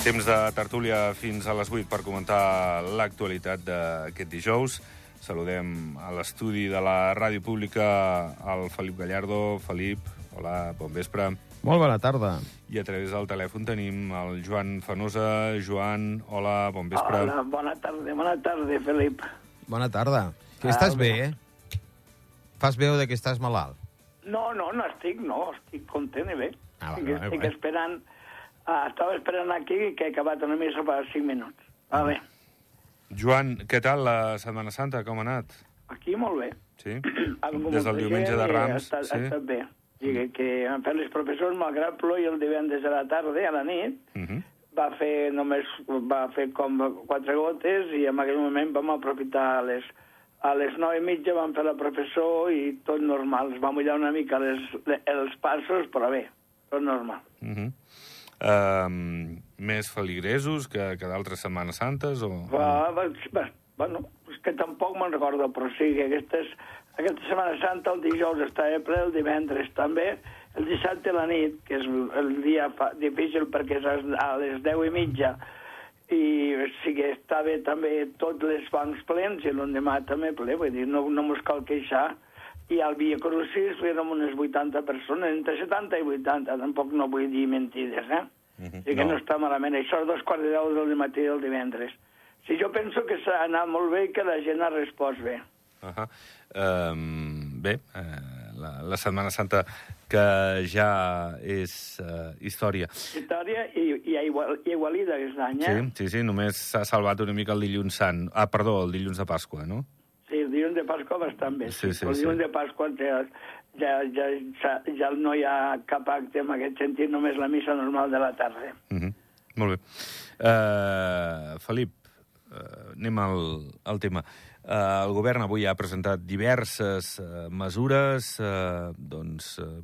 Temps de tertúlia fins a les 8 per comentar l'actualitat d'aquest dijous. Saludem a l'estudi de la Ràdio Pública el Felip Gallardo. Felip, hola, bon vespre. Molt bona tarda. I a través del telèfon tenim el Joan Fenosa. Joan, hola, bon vespre. Hola, bona tarda, Felip. Bona tarda. Que estàs bé, eh? Fas veu de que estàs malalt. No estic content i bé. Estic bé. esperant, estava esperant aquí que he acabat una missa per 5 minuts. Va bé. Joan, què tal la Setmana Santa? Com ha anat? Aquí molt bé. Sí? Algú Des del diumenge de Rams, ha estat bé. Digue que han fet les professors, malgrat ploi el divendres a la tarda, a la nit, va fer com 4 gotes i en aquell moment vam aprofitar a les 9:30 vam fer la professor i tot normal. Es va mullar una mica els passos, però bé, tot normal. Més feligresos que d'altres Setmanes Santes? Bueno, és que tampoc me'n recordo, però sí que aquesta Setmana Santa el dijous estava ple, el divendres també, el dissabte a la nit, que és el dia difícil perquè és a les 10:30, i sí que estava també tots els bancs plens i l'endemà també ple, vull dir, no mos cal queixar. I al Via Crucis érem unes 80 persones, entre 70 i 80, tampoc no vull dir mentides, eh? Sí que no està malament. Això és 2:45 del matí del divendres. Sí, jo penso que s'ha anat molt bé i que la gent ha respost bé. Bé, la Setmana Santa que ja és història. Història i aigualida aquest any, eh? Sí, només s'ha salvat una mica el dilluns sant. El dilluns de Pasqua, no? Sí, el dilluns de Pasqua bastant bé. Sí. El dilluns de Pasqua ja no hi ha cap acte en aquest sentit, només la missa normal de la tarda. Molt bé. Felip, anem al tema. El govern avui ha presentat diverses mesures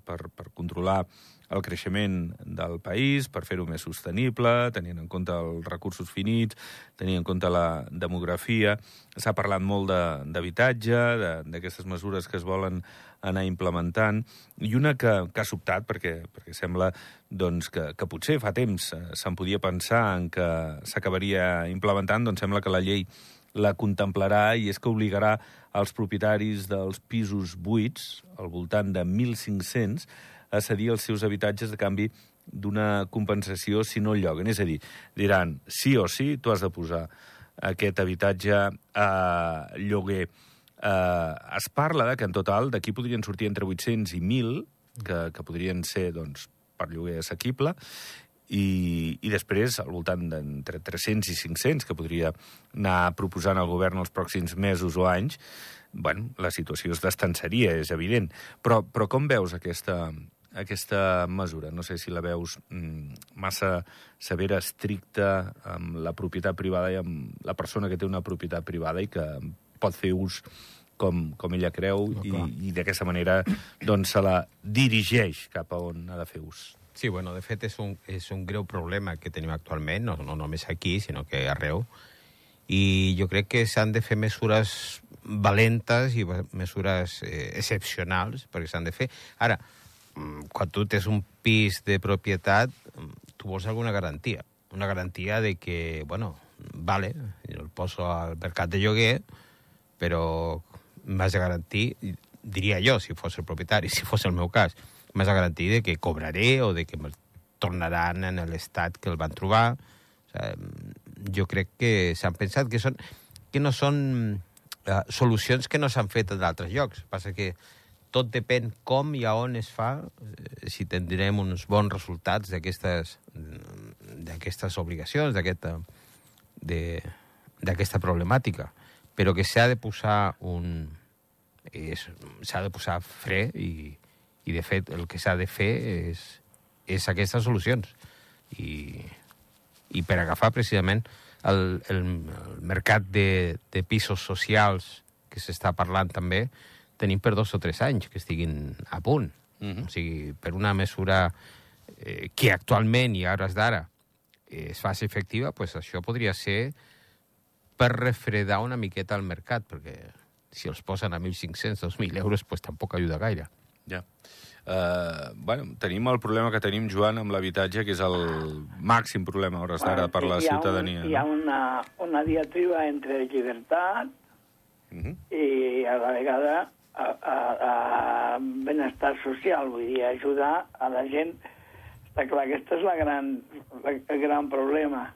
per controlar el creixement del país, per fer-ho més sostenible, tenint en compte els recursos finits, tenint en compte la demografia. S'ha parlat molt d'habitatge, d'aquestes mesures que es volen anar implementant, i una que ha sobtat, perquè sembla que potser fa temps se'n podia pensar en que s'acabaria implementant, doncs sembla que la llei la contemplarà, i és que obligarà els propietaris dels pisos buits, al voltant de 1.500, a cedir els seus habitatges a canvi d'una compensació si no el lloguen. És a dir, diran, sí o sí, tu has de posar aquest habitatge a lloguer. Es parla que en total d'aquí podrien sortir entre 800 i 1.000, que podrien ser per lloguer assequible, i després al voltant d'entre 300 i 500 que podria anar proposant el govern els pròxims mesos o anys. Bueno, la situació es destensaria, és evident. Però com veus aquesta mesura? No sé si la veus massa severa, estricta amb la propietat privada i amb la persona que té una propietat privada i que pot fer ús com ella creu, i d'aquesta manera se la dirigeix cap a on ha de fer ús. Sí, bueno, de fet és un greu problema que tenim actualment, no només aquí, sinó que arreu. I jo crec que s'han de fer mesures valentes i mesures excepcionals, perquè s'han de fer. Ara, quan tu tens un pis de propietat, tu vols alguna garantia. Una garantia de que, vale, jo el poso al mercat de lloguer, però m'has de garantir, diria jo, si fos el propietari, si fos el meu cas, m'has de garantir de que cobraré o de que me'l tornaran en l'estat que el van trobar. O sigui, jo crec que s'han pensat que no són solucions que no s'han fet en altres llocs. Passa que tot depèn com i a on es fa, si tindrem uns bons resultats d'aquestes obligacions, d'aquesta problemàtica. Però que s'ha de posar fre i de fet el que s'ha de fer és aquestes solucions. I per agafar precisament el mercat de pisos socials que s'està parlant també, tenim per 2 o 3 anys que estiguin a punt. O sigui, per una mesura que actualment i a hores d'ara es faci efectiva, doncs això podria ser per refredar una miqueta el mercat, perquè si els posen a 1.500, 2.000 euros, doncs tampoc ajuda gaire. Ja. Tenim el problema que tenim, Joan, amb l'habitatge, que és el màxim problema a hores d'ara per la ciutadania. Hi ha una diatriba entre llibertat i a la vegada a benestar social, vull dir, ajudar a la gent. Està clar, aquest és el gran problema.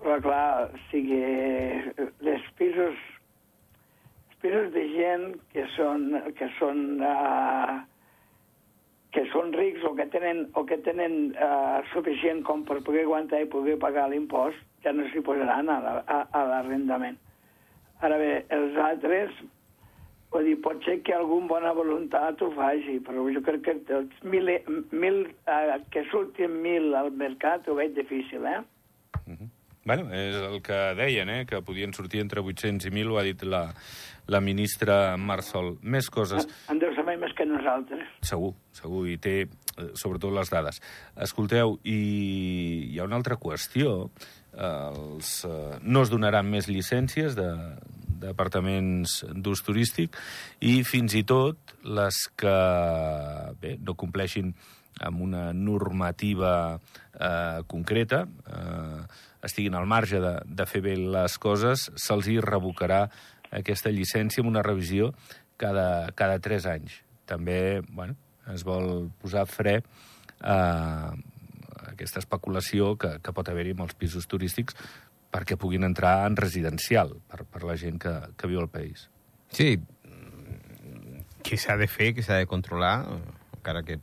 Però clar, els pisos de gent que són rics o que tenen suficient com per poder aguantar i poder pagar l'impost, ja no s'hi posaran a l'arrendament. Ara bé, els altres, vull dir, pot ser que algun bona voluntat ho faci, però jo crec que que surtin 1.000 al mercat ho veig difícil, És el que deien, que podien sortir entre 800 i 1.000, ho ha dit la ministra Marsol. Més coses. En deu saber més que nosaltres. Segur, i té sobretot les dades. Escolteu, i hi ha una altra qüestió. No es donaran més llicències d'apartaments d'ús turístic i fins i tot les que no compleixin amb una normativa concreta, estiguin al marge de fer bé les coses, se'ls hi revocarà aquesta llicència amb una revisió cada 3 anys. També es vol posar fre a aquesta especulació que pot haver-hi amb els pisos turístics perquè puguin entrar en residencial per la gent que viu al país. Sí, que s'ha de fer, que s'ha de controlar, encara que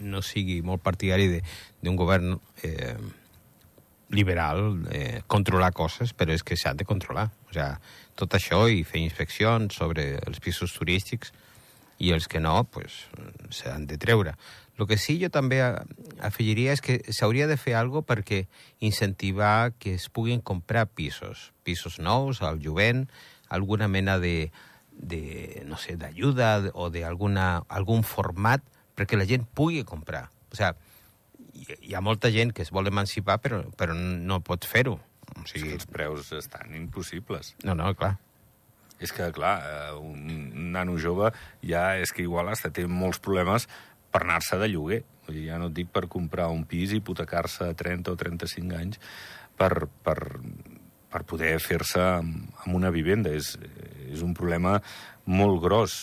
no sigui molt partidari d'un govern liberal, controlar coses, però és que s'han de controlar. O sigui, tot això i fer inspeccions sobre els pisos turístics i els que no, pues, s'han de treure. El que sí jo també afegiria és que s'hauria de fer alguna cosa perquè incentivar que es puguin comprar pisos nous al jovent, alguna mena no sé, d'ajuda o d'algun format perquè la gent pugui comprar. O sigui, hi ha molta gent que es vol emancipar però no pot fer-ho. O sigui, els preus estan impossibles. No, clar. És que, clar, un nano jove ja és que igual hasta té molts problemes per anar-se de lloguer. Vull dir, ja no et dic per comprar un pis i hipotecar-se a 30 o 35 anys per poder fer-se amb una vivenda. És un problema molt gros.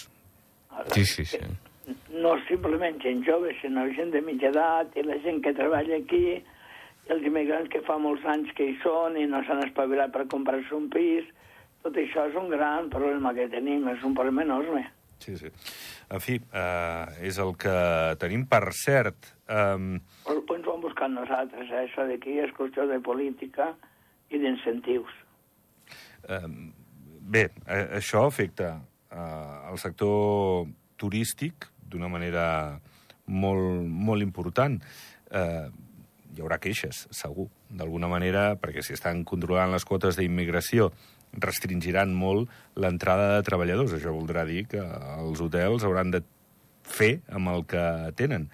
Sí. No simplement gent jove, sinó gent de mitja edat i la gent que treballa aquí, i els immigrants que fa molts anys que hi són i no s'han espavilat per comprar-se un pis. Tot això és un gran problema que tenim, és un problema enorme. Sí. En fi, és el que tenim. Per cert... Però ens ho hem buscat nosaltres, això d'aquí és qüestió de política i d'incentius. Bé, això afecta el sector turístic d'una manera molt, molt important. Hi haurà queixes, segur, d'alguna manera, perquè si estan controlant les quotes d'immigració restringiran molt l'entrada de treballadors. Això voldrà dir que els hotels hauran de fer amb el que tenen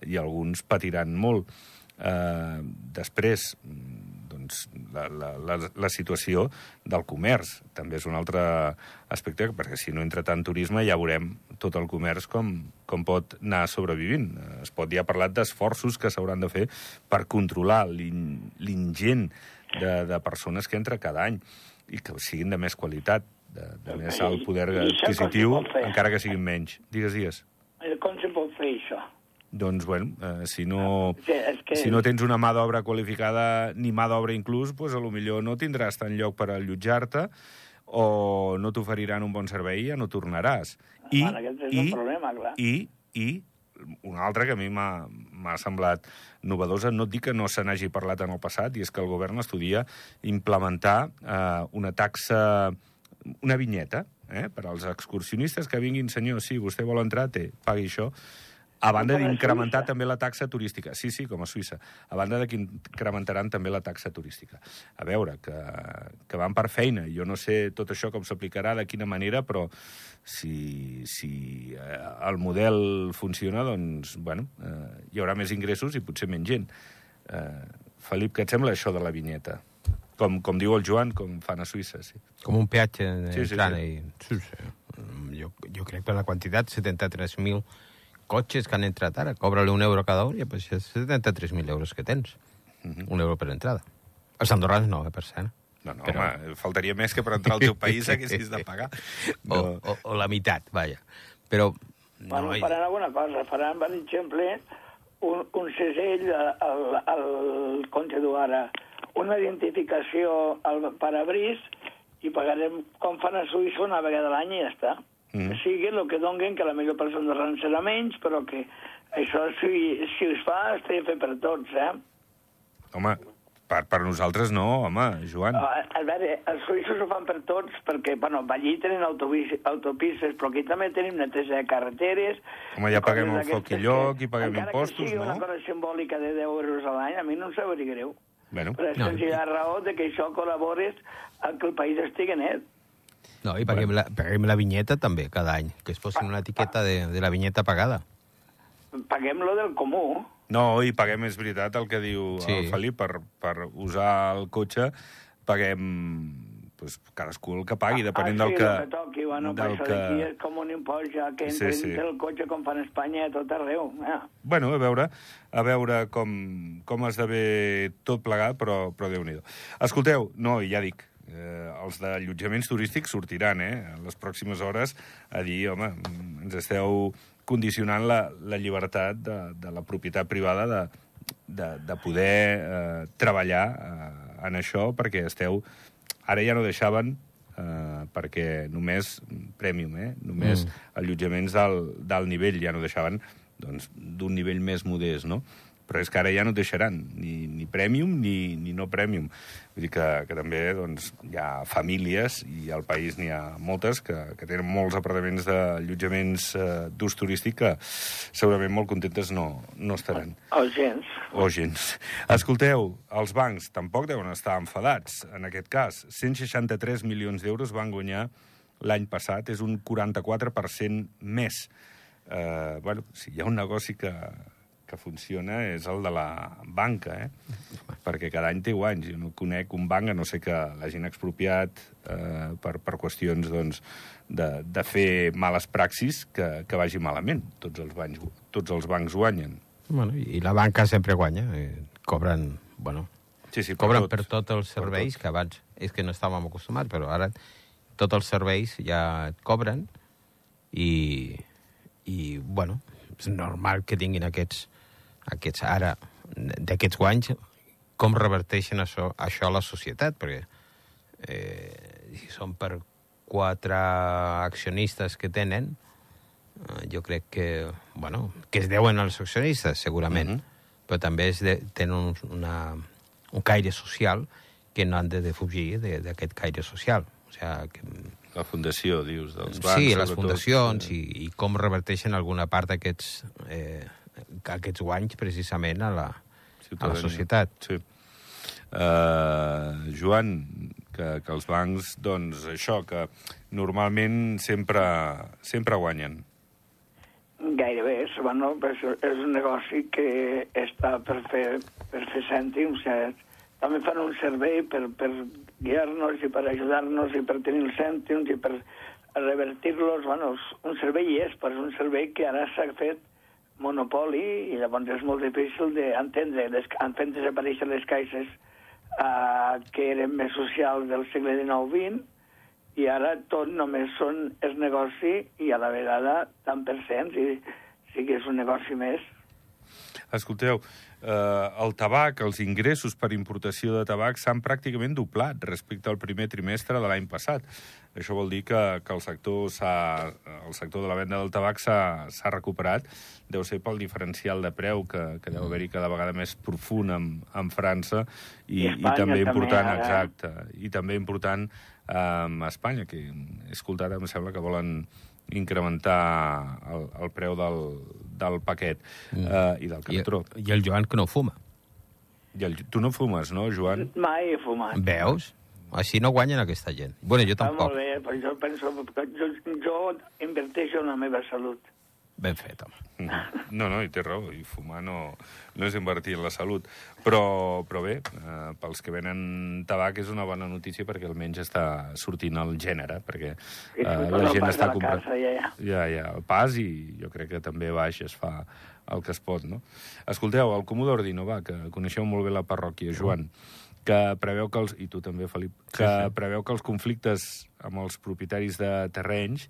i alguns patiran molt. Després, doncs, la situació del comerç també és un altre aspecte, perquè si no entra tant turisme ja veurem tot el comerç com pot anar sobrevivint. Es pot ja parlar d'esforços que s'hauran de fer per controlar l'ingent de persones que entra cada any i que siguin de més qualitat, de més alt poder adquisitiu, encara que siguin menys. Digues. Com se pot fer això? Doncs, si no tens una mà d'obra qualificada, ni mà d'obra inclús, doncs potser no tindràs tant lloc per allotjar-te o no t'oferiran un bon servei i ja no tornaràs. Aquest és un problema, clar. I una altra que a mi m'ha semblat novedosa, no et dic que no se n'hagi parlat en el passat, i és que el govern estudia implementar una taxa, una vinyeta, per als excursionistes que vinguin, senyor, sí, vostè vol entrar, pagui això, a banda d'incrementar també la taxa turística. Sí, com a Suïssa. A banda que incrementaran també la taxa turística. A veure, que van per feina. Jo no sé tot això com s'aplicarà, de quina manera, però si el model funciona, doncs, hi haurà més ingressos i potser menys gent. Felip, què et sembla això de la vinyeta? Com diu el Joan, com fan a Suïssa, sí. Com un peatge entrant. Sí. Jo crec que la quantitat, 73.000 cotxes que han entrat ara, cobra-li €1 cada un, i pues, és 73.000 euros que tens. €1 per entrada. Els andorrans no, per cert. No, home, faltaria més que per entrar al teu país haguessis de pagar. No. O la meitat, vaja. Però... Bueno, faran alguna cosa. Faran, per exemple, un segell al Conte d'Uara, una identificació al parabrís i pagarem, com fan a Suïssa, una vegada a l'any i ja està. Que sigui el que donguen, que la millor persona andorrans serà menys, però que això, si es fa, es té de fer per tots, Home, per nosaltres no, home, Joan. A veure, els suïssos ho fan per tots, perquè, bueno, allí tenen autopistes, però aquí també tenim neteja de carreteres... Home, ja paguem el foc i lloc i paguem impostos, no? Encara que sigui una cosa simbòlica de 10 euros a l'any, a mi no em sabria greu. Bueno. Però és senzilla raó de que això col·labores a que el país estigui net. No, i paguem la vinyeta també, cada any, que es posin una etiqueta de la vinyeta pagada. Paguem lo del comú. No, i paguem, és veritat, el que diu el Felip, per usar el cotxe, paguem pues, cadascú el que pagui, depenent del que... Sí, el que toqui, bueno, però això d'aquí és com un impost ja que entren el cotxe com fan a Espanya a tot arreu. Bueno, a veure com esdevé tot plegat, però Déu-n'hi-do. Escolteu, no, ja dic, els d'allotjaments turístics sortiran, en les pròximes hores, a dir, home, ens esteu condicionant la llibertat de la propietat privada de poder treballar en això, perquè esteu... Ara ja no deixaven, perquè només Premium, només allotjaments d'alt nivell, ja no deixaven doncs, d'un nivell més modest, no? Però és que ara ja no deixaran ni Premium ni no Premium. Vull dir que també doncs, hi ha famílies, i al país n'hi ha moltes, que tenen molts apartaments d'allotjaments d'ús turístic que segurament molt contentes no estaran. O gens. O gens. Escolteu, els bancs tampoc deuen estar enfadats, en aquest cas. 163 milions d'euros van guanyar l'any passat, és un 44% més. Bueno, si hi ha un negoci que funciona és el de la banca, perquè cada any té guanys. Jo no conec un banc, a no ser que l'hagin expropiat per qüestions doncs, de fer males praxis que vagi malament. Tots els bancs guanyen. Bueno, i la banca sempre guanya. Cobren, bueno, cobren per tots els serveis, que abans és que no estàvem acostumats, però ara tots els serveis ja et cobren i bueno, és normal que tinguin aquests ara, d'aquests guanys, com reverteixen això a la societat, perquè si són per 4 accionistes que tenen, jo crec que es deuen als accionistes, segurament, però també tenen un caire social que no han de defugir d'aquest caire social. O sigui, que... La fundació, dius, dels bancs. Sí, les fundacions, i com reverteixen alguna part d'aquests guanys precisament a la societat. Sí. Joan, que els bancs, doncs, això, que normalment sempre guanyen. Gairebé, bueno, és un negoci que està per fer cèntims. També fan un servei per guiar-nos i per ajudar-nos i per tenir els cèntims i per revertir-los. Bueno, un servei però és un servei que ara s'ha fet monopoli i llavors és molt difícil d'entendre. Han fet desaparèixer les caixes que eren més socials del segle XIX-XX i ara tot només és negoci i a la vegada tant per cents i sí que és un negoci més. Escolteu, el tabac, els ingressos per importació de tabac s'han pràcticament doblat respecte al primer trimestre de l'any passat. Això vol dir que el sector de la venda del tabac s'ha recuperat. Deu ser pel diferencial de preu que deu haver-hi cada vegada més profund en França i també important, exacte, i també important a Espanya, que he escoltat, em sembla que volen incrementar el preu del paquet i del cartró. I el Joan, que no fuma. Tu no fumes, no, Joan? Mai he fumat. Veus? Així no guanyen aquesta gent. Bueno, jo tampoc. Molt bé, però jo penso que jo inverteixo en la meva salut. Ben fet, home. No, i té raó, i fumar no és invertir en la salut. Però bé, pels que venen tabac és una bona notícia perquè almenys està sortint el gènere, perquè la gent està comprant... Ja, el pas, i jo crec que també baix es fa el que es pot, no? Escolteu, el Comú d'Ordino, que coneixeu molt bé la parròquia, Joan, que preveu que i tu també, Felip, que preveu que els conflictes amb els propietaris de terrenys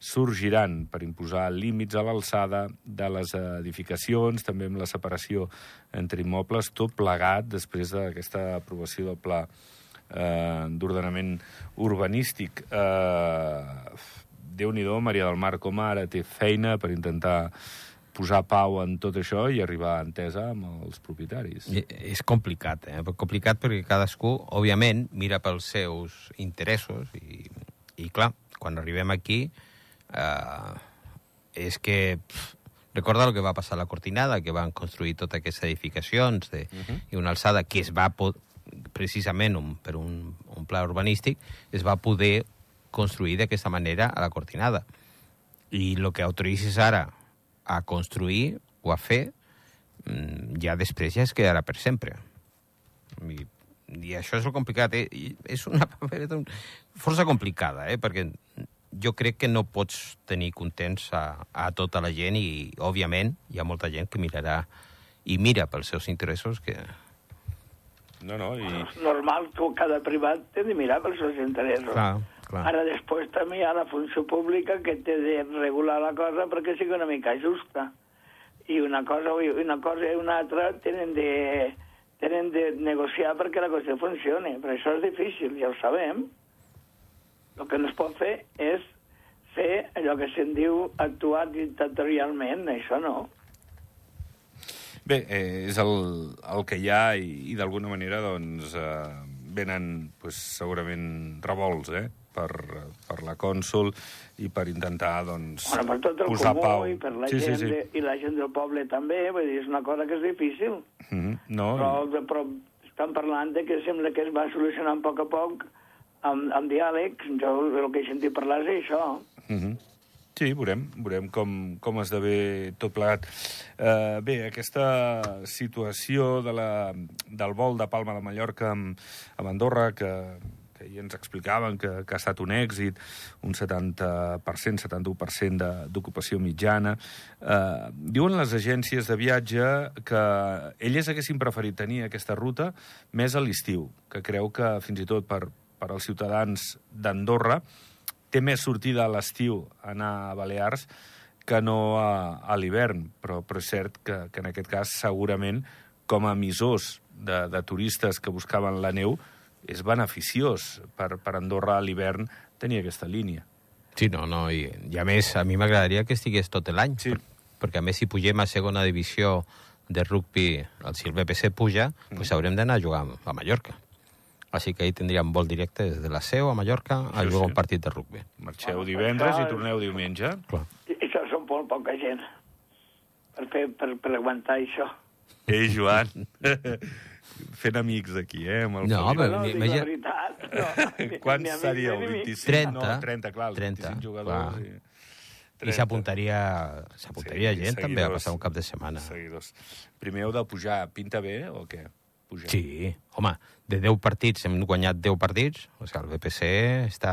sorgiran per imposar límits a l'alçada de les edificacions, també amb la separació entre immobles, tot plegat després d'aquesta aprovació del pla d'ordenament urbanístic. Déu-n'hi-do, Maria del Mar, com ara té feina per intentar posar pau en tot això i arribar a entesa amb els propietaris. És complicat, complicat perquè cadascú, òbviament, mira pels seus interessos i clar, quan arribem aquí és que recorda el que va passar a la Cortinada, que van construir totes aquestes edificacions i una alçada que es va precisament per un pla urbanístic es va poder construir d'aquesta manera a la Cortinada. I el que autoritzis ara a construir o a fer ja després ja es quedarà per sempre. I això és el complicat. És una papereta força complicada, perquè jo crec que no pots tenir contents a tota la gent i, òbviament, hi ha molta gent que mirarà i mira pels seus interessos que... No, i... És normal que cada privat té de mirar pels seus interessos. Clar. Ara després també hi ha la funció pública que té de regular la cosa perquè sigui una mica justa. I una cosa i una altra tenen de negociar perquè la cosa funcioni. Però això és difícil, ja ho sabem. El que no es pot fer és fer allò que se'n diu actuar dictatorialment, això no. Bé, és el que hi ha i d'alguna manera doncs, venen segurament revolts per la cònsol i per intentar doncs, per tot el posar comú pau. I per la gent i la gent del poble també, vull dir, és una cosa que és difícil. Però estan parlant de que sembla que es va solucionant a poc amb diàleg. Jo el que he sentit parlar és això. Sí, veurem com esdevé tot plegat. Bé, aquesta situació del vol de Palma de Mallorca amb Andorra, que ahir ens explicaven que ha estat un èxit, un 70%, 71% d'ocupació mitjana. Diuen les agències de viatge que elles haguessin preferit tenir aquesta ruta més a l'estiu, que creu que fins i tot per als ciutadans d'Andorra té més sortida a l'estiu anar a Balears que no a l'hivern, però és cert que en aquest cas segurament com a emissors de turistes que buscaven la neu és beneficiós per Andorra a l'hivern tenir aquesta línia. Sí, i a més a mi m'agradaria que estigués tot l'any, perquè a més si pugem a segona divisió de rugby, si el BPC puja, doncs haurem d'anar a jugar a Mallorca. Així que ahir tindríem vol directe des de la Seu a Mallorca a jugar un partit de rugby. Marxeu divendres i torneu diumenge. Clar. I això són molt poca gent per aguantar això. Joan, fent amics aquí, amb el Felip. No, dic la veritat. Quants seríeu? 25? 30. No, 30, clar, 25 jugadors. I s'apuntaria gent també a passar un cap de setmana. Seguidors. Primer heu de pujar. Pinta bé o què? Sí, home, de 10 partits hem guanyat 10 partits, o sigui, el BPC està...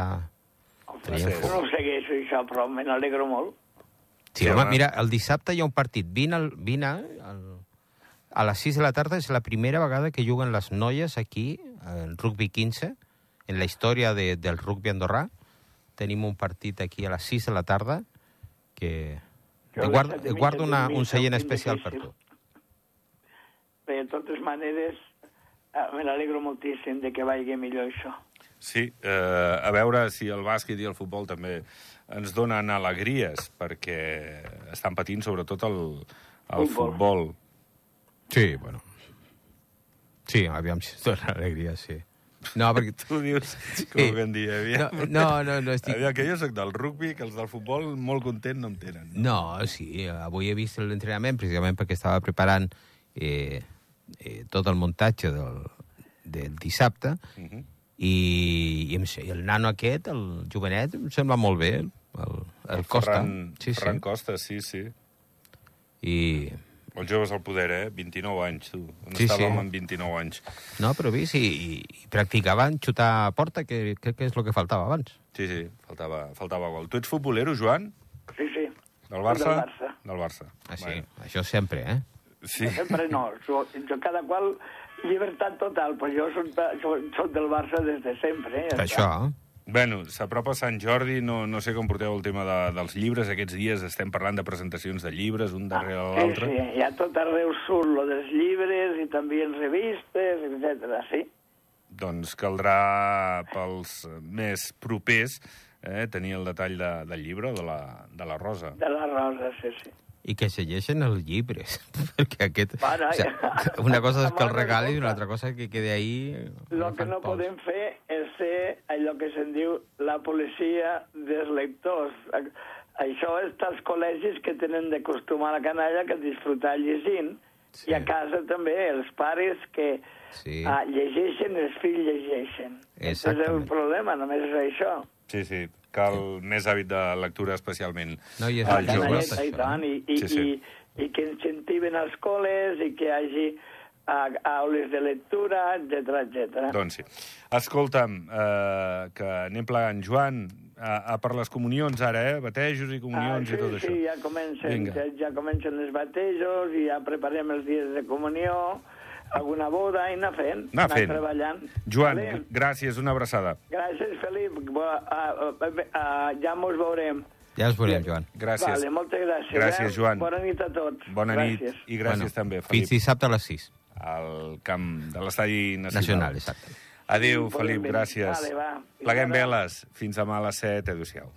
No ho segueixo, això, però me n'alegro molt. Sí, home, mira, el dissabte hi ha un partit. Vine a les 6 de la tarda, és la primera vegada que juguen les noies aquí, en rugby 15, en la història del rugby andorrà. Tenim un partit aquí a les 6 de la tarda, que guardo un seient especial per tu. Bé, de totes maneres, me n'alegro moltíssim de que vagi millor això. Sí, a veure si el bàsquet i el futbol també ens donen alegries, perquè estan patint sobretot el futbol. Sí, bueno. Sí, aviam si es dona alegries, sí. No, perquè... Tu dius, com que en dia, aviam. No estic... Aviam, que jo soc del rugby, que els del futbol molt content no em tenen. No, sí, avui he vist l'entrenament precisament perquè estava preparant tot el muntatge del dissabte i el nano aquest, el jovenet, em sembla molt bé, el Costa. Ferran Costa, sí. I... Els joves al poder, 29 anys, tu. On Sí, estàvem amb 29 anys? No, però vist, i practicaven xutar a porta, que crec que és el que faltava abans. Sí, faltava gol. Tu ets futbolero, Joan? Sí. Del Barça? Del Barça. Del Barça. Ah, sí, Bueno. això sempre, Sí. Sempre no. Jo cada qual llibertat total, però jo soc del Barça des de sempre. Per això. Bueno, s'apropa Sant Jordi, no sé com porteu el tema dels llibres. Aquests dies estem parlant de presentacions de llibres, un darrere l'altre. Sí, ja tot arreu surt lo dels llibres i també en revistes, etc. sí. Doncs caldrà pels més propers tenir el detall del llibre, de la Rosa. De la Rosa, sí. I que se llegeixen els llibres, perquè aquest... Bueno, o sigui, una cosa és que el regali i una altra cosa és que quede ahí... El que no podem fer és ser allò que se'n diu la policia dels lectors. Això és als col·legis que tenen d'acostumar la canalla que disfrutar llegint, i a casa també els pares que llegeixen, els fills llegeixen. Aquest és el problema, només és això. Sí, cal més hàbit de lectura, especialment als joves. I que incentiven els col·les i que hi hagi aules de lectura, etc. Doncs sí. Escolta'm, que anem plegant. Joan, per les comunions ara, batejos i comunions i tot això. Sí, ja comencen els batejos i ja preparem els dies de comunió, alguna boda i anar treballant. Joan, gràcies, una abraçada. Gràcies, Felip. Ja mos veurem. Ja ens veurem, Joan. Gràcies. Vale, moltes gràcies. Gràcies, Joan. Bona nit a tots. Bona nit i gràcies també, Felip. Fins dissabte a les 6. Al camp de l'Estadi Nacional, exacte. Adéu, Felip, gràcies. Vale, va. Pleguem veles. Fins demà a les 7. Adéu-siau.